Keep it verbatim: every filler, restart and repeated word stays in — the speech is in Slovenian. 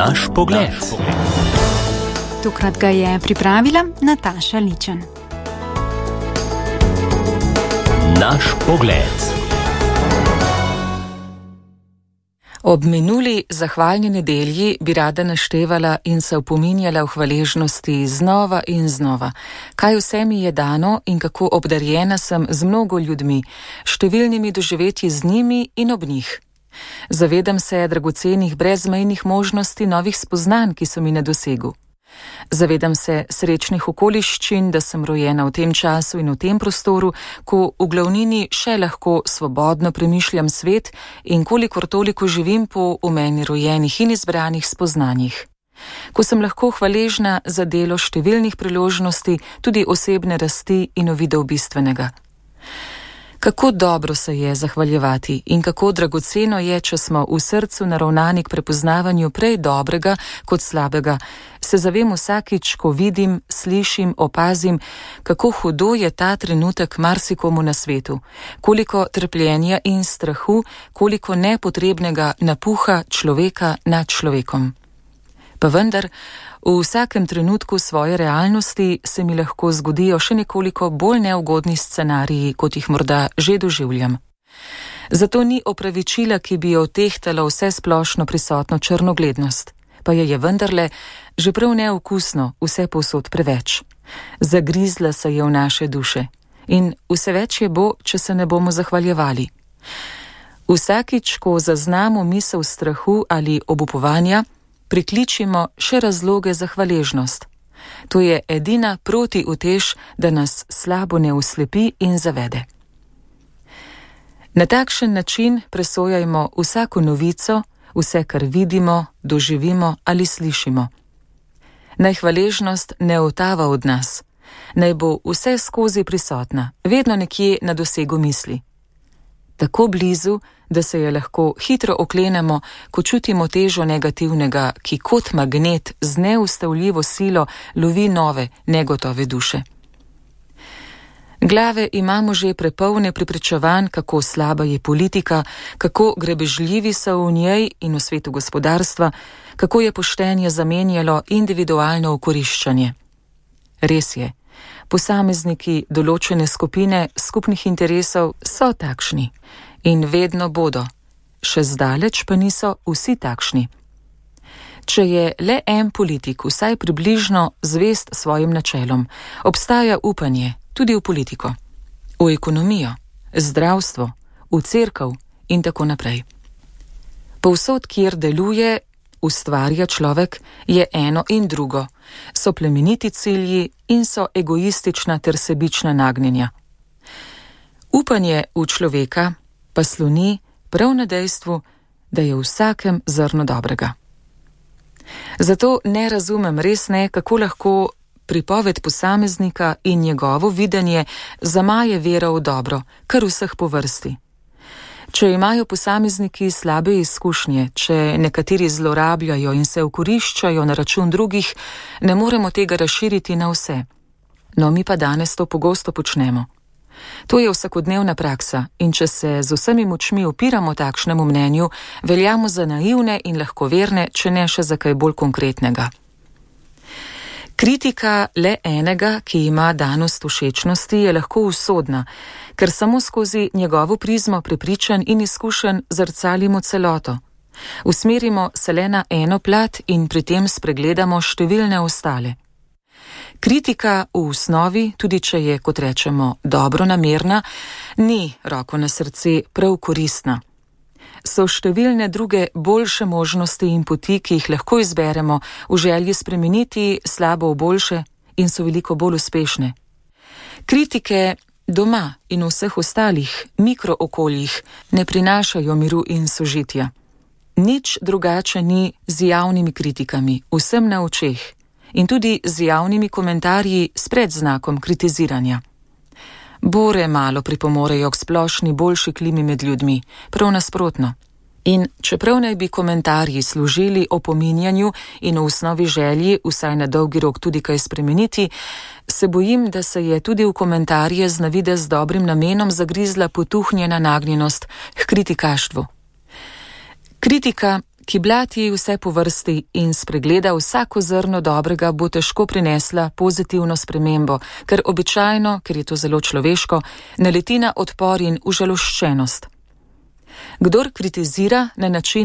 Naš pogled. Tokrat ga je pripravila Nataša Ličen. Naš pogled. Ob minuli zahvalni nedelji bi rada naštevala in se opominjala v hvaležnosti znova in znova, kaj vse mi je dano in kako obdarjena sem z mnogo ljudmi, številnimi doživetji z njimi in ob njih. Zavedam se dragocenih brezmejnih možnosti novih spoznanj, ki so mi na dosegu. Zavedam se srečnih okoliščin, da sem rojena v tem času in v tem prostoru, ko v glavnini še lahko svobodno premišljam svet in kolikor toliko živim po v meni rojenih in izbranih spoznanjih. Ko sem lahko hvaležna za delo številnih priložnosti, tudi osebne rasti in uvidov bistvenega. Kako dobro se je zahvaljevati in kako dragoceno je, če smo v srcu naravnani k prepoznavanju prej dobrega kot slabega, se zavem vsakič, ko vidim, slišim, opazim, kako hudo je ta trenutek marsikomu na svetu, koliko trpljenja in strahu, koliko nepotrebnega napuha človeka nad človekom. Pa vendar, v vsakem trenutku svoje realnosti se mi lahko zgodijo še nekoliko bolj neugodni scenariji, kot jih morda že doživljam. Zato ni opravičila, ki bi jo tehtala vse splošno prisotno črnoglednost, pa je je vendarle že prav neokusno vse povsod preveč. Zagrizla se je v naše duše in vse več je bo, če se ne bomo zahvaljevali. Vsakič, ko zaznamo misel strahu ali obupovanja, prikličimo še razloge za hvaležnost. To je edina protiutež, da nas slabo ne oslepi in zavede. Na takšen način presojajmo vsako novico, vse, kar vidimo, doživimo ali slišimo. Naj hvaležnost ne otava od nas, naj bo vse skozi prisotna, vedno nekje na dosegu misli. Tako blizu, da se je lahko hitro oklenemo, ko čutimo težo negativnega, ki kot magnet z neustavljivo silo lovi nove, negotove duše. Glave imamo že prepolne prepričevanj, kako slaba je politika, kako grebežljivi so v njej in v svetu gospodarstva, kako je poštenje zamenjalo individualno okoriščanje. Res je, posamezniki določene skupine skupnih interesov so takšni. In vedno bodo, še zdaleč pa niso vsi takšni. Če je le en politik vsaj približno zvest svojim načelom, obstaja upanje tudi v politiko, v ekonomijo, zdravstvo, v cerkev in tako naprej. Povsod, kjer deluje, ustvarja človek, je eno in drugo, so plemeniti cilji in so egoistična ter sebična nagnjenja. Upanje v človeka pa sloni prav na dejstvu, da je v vsakem zrno dobrega. Zato ne razumem, res ne, kako lahko pripoved posameznika in njegovo videnje zamaje vero v dobro, kar vseh po vrsti. Če imajo posamezniki slabe izkušnje, če nekateri zlorabljajo in se okoriščajo na račun drugih, ne moremo tega razširiti na vse. No, mi pa danes to pogosto počnemo. To je vsakodnevna praksa in če se z vsemi močmi upiramo takšnemu mnenju, veljamo za naivne in lahkoverne, če ne še za kaj bolj konkretnega. Kritika le enega, ki ima danost všečnosti, je lahko usodna, ker samo skozi njegovo prizmo prepričan in izkušen zrcalimo celoto. Usmerimo se le na eno plat in pri tem spregledamo številne ostale. Kritika v osnovi, tudi če je, kot rečemo, dobro namerna, ni, roko na srce, prav koristna. So številne druge boljše možnosti in poti, ki jih lahko izberemo v želji spremeniti slabo v boljše in so veliko bolj uspešne. Kritike doma in v vseh ostalih mikrookoljih ne prinašajo miru in sožitja. Nič drugače ni z javnimi kritikami, vsem na očeh. In tudi z javnimi komentarji s predznakom kritiziranja. Bore malo pripomorejo k splošni boljši klimi med ljudmi, prav nasprotno. In čeprav naj bi komentarji služili opominjanju in v osnovi želji vsaj na dolgi rok tudi kaj spremeniti, se bojim, da se je tudi v komentarje z navidez dobrim namenom zagrizla potuhnjena nagnjenost k kritikaštvu. Kritika, ki blati vse po vrsti in spregleda vsako zrno dobrega, bo težko prinesla pozitivno spremembo, ker običajno, ker je to zelo človeško, naleti na odpor in užaloščenost. Kdor kritizira na način